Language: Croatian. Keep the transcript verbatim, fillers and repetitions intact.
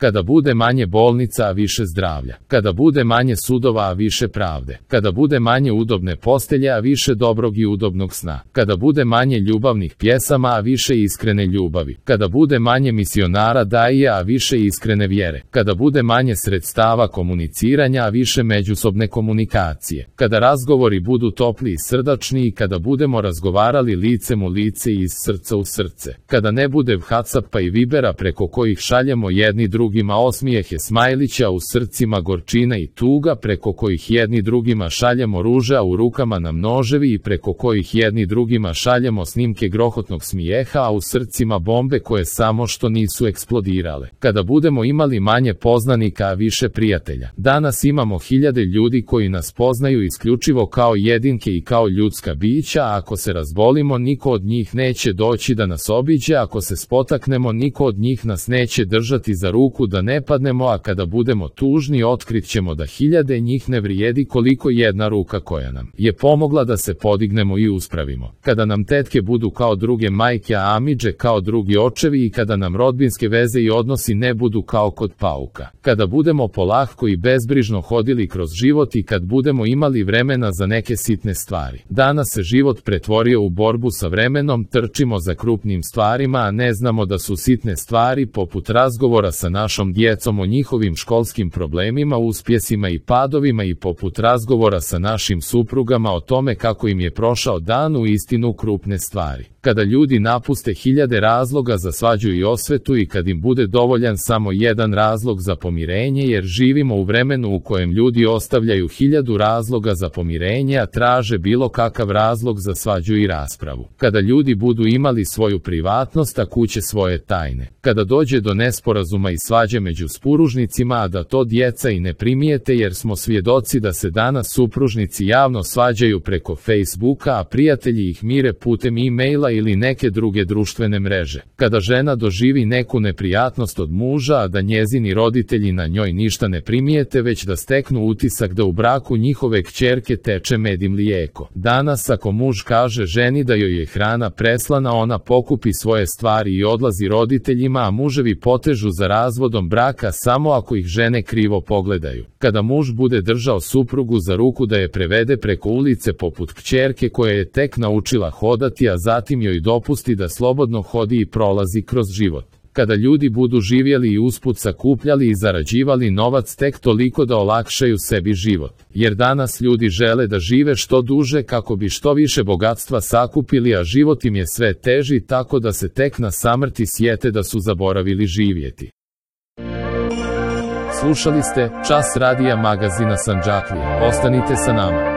Kada bude manje bolnica, a više zdravlja. Kada bude manje sudova, a više pravde. Kada bude manje udobne postelje, a više dobrog i udobnog sna. Kada bude manje ljubavnih pjesama, a više iskrene ljubavi. Kada bude manje misionara daija, a više iskrene vjere. Kada bude manje sredstava komuniciranja, a više međusobne komunikacije. Kada razgovori budu topli i srdačni i kada budemo razgovarali licem u lice i iz srca u srce. Kada ne bude Whatsappa i Vibera preko kojih šaljemo jedni drugima osmijehe smajlića, u srcima gorčina i tuga, preko kojih jedni drugima šaljemo ruže, a u rukama nam noževi, i preko kojih jedni drugima šaljemo snimke grohotnog smijeha, a u srcima bombe koje samo što nisu eksplodirale. Kada budemo imali manje poznanika, a više prijatelja. Danas imamo hiljade ljudi koji nas poznaju isključivo kao jedinke i kao ljudska bića, a ako se razbolimo, niko od njih neće doći da nas obiđe, ako se spotaknemo, niko od njih nas neće držati za ruku da ne padnemo, a kada budemo tužni, otkrit ćemo da hiljade njih ne vrijedi koliko jedna ruka koja nam je pomogla da se podignemo i uspravimo. Kada nam tetke budu kao druge majke, a amidže kao drugi očevi, i kada nam rodbinske veze i odnosi ne budu kao kod pauka. Kada budemo polahko i bezbrižno hodili kroz život i kad budemo imali vremena za neke sitne stvari. Danas se život pretvorio u borbu sa vremenom, trčimo za krupnim stvarima, a ne znamo da su sitne stvari poput razgovora sa našom djecom o njihovim školskim problemima, uspjesima i padovima, i poput razgovora sa našim suprugama o tome kako im je prošao dan, u istinu krupne stvari. Kada ljudi napuste hiljade razloga za svađu i osvetu i kad im bude dovoljan samo jedan razlog za pomirenje, jer živimo u vremenu u kojem ljudi ostavljaju hiljadu razloga za pomirenje, a traže bilo kakav razlog za svađu i raspravu. Kada ljudi budu imali svoju privatnost, a kuće svoje tajne. Kada dođe do nesporazuma i svađe među supružnicima, a da to djeca i ne primijete, jer smo svjedoci da se danas supružnici javno svađaju preko Facebooka, a prijatelji ih mire putem e-maila ili neke druge društvene mreže. Kada žena doživi neku neprijatnost od muža, a da njezini roditelji na njoj ništa ne primijete, već da steknu utisak da u braku njihove kćerke teče med i mlijeko. Danas ako muž kaže ženi da joj je hrana preslana, ona pokupi svoje stvari i odlazi roditeljima, a muževi potežu za razvodom braka samo ako ih žene krivo pogledaju. Kada muž bude držao suprugu za ruku da je prevede preko ulice poput kćerke koja je tek naučila hodati, a zatim joj dopusti da slobodno hodi i prolazi kroz život. Kada ljudi budu živjeli i usput sakupljali i zarađivali novac tek toliko da olakšaju sebi život. Jer danas ljudi žele da žive što duže kako bi što više bogatstva sakupili, a život im je sve teži, tako da se tek na samrti sjete da su zaboravili živjeti. Slušali ste Čas radija magazina Sandžaklija. Ostanite sa nama.